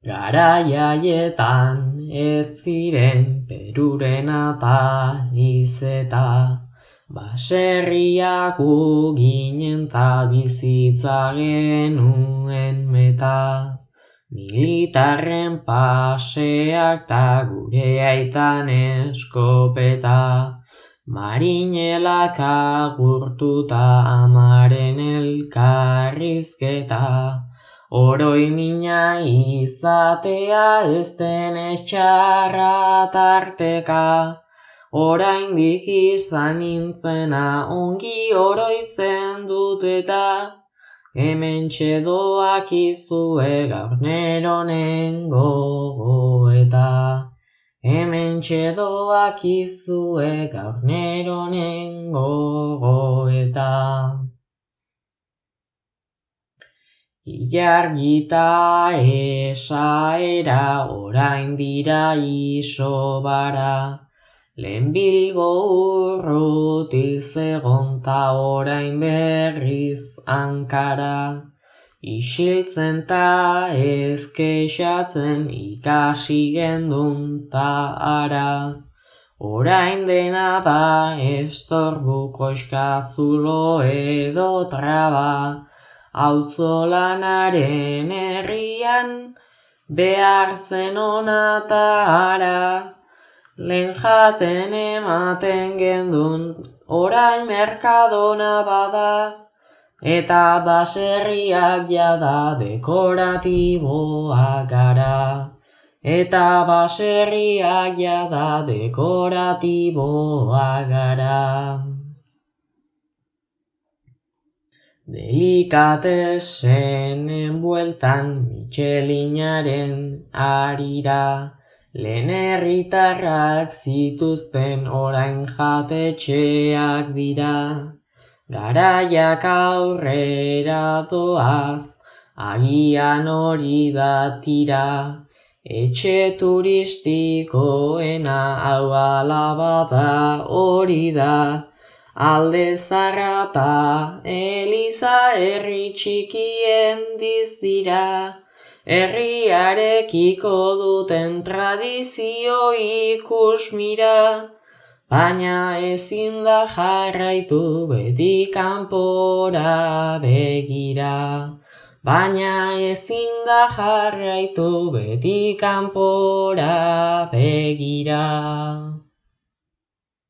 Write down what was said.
Garaiaietan ez ziren Peruren eta izeta, baserriak ginen ta bizitza genuen meta. Militarren paseak ta gure aitan eskopeta, marinelak agurtuta amaren elkarrizketa. Oroimina izatea ez den txarra tarteka, oraindik izan nintzena ongi oroitzen dut eta, hementxe doakizue gaur neronen gogoeta. Hementxe doakizue gaur neronen gogoeta. Ilargita esaera orain dira isobara, lehen Bilbo urruti zegon ta orain berriz Ankara. Isiltzen ta ez kexatzen ikasi gendun ta ara, orain dena da estorbu koxka zulo edo traba. Auzolanaren herrian behar zen ona ta ara, lehen jaten ematen gendun orain merkadona bada, eta baserriak jada dekoratiboak gara. Eta baserriak jada dekoratiboak gara. Delikatesenen bueltan Michelinaren harira, lehen herritarrak zituzten orain jatetxeak dira. Garaiak aurrera doaz, agian hori da tira, etxe turistikoena hau alabada hori da. Alde Zarra ta Eliza herri txikien dizdira, herriarekiko duten tradizio ikusmira, baina ezin da jarraitu beti kanpora begira. Baina ezin da jarraitu beti kanpora begira.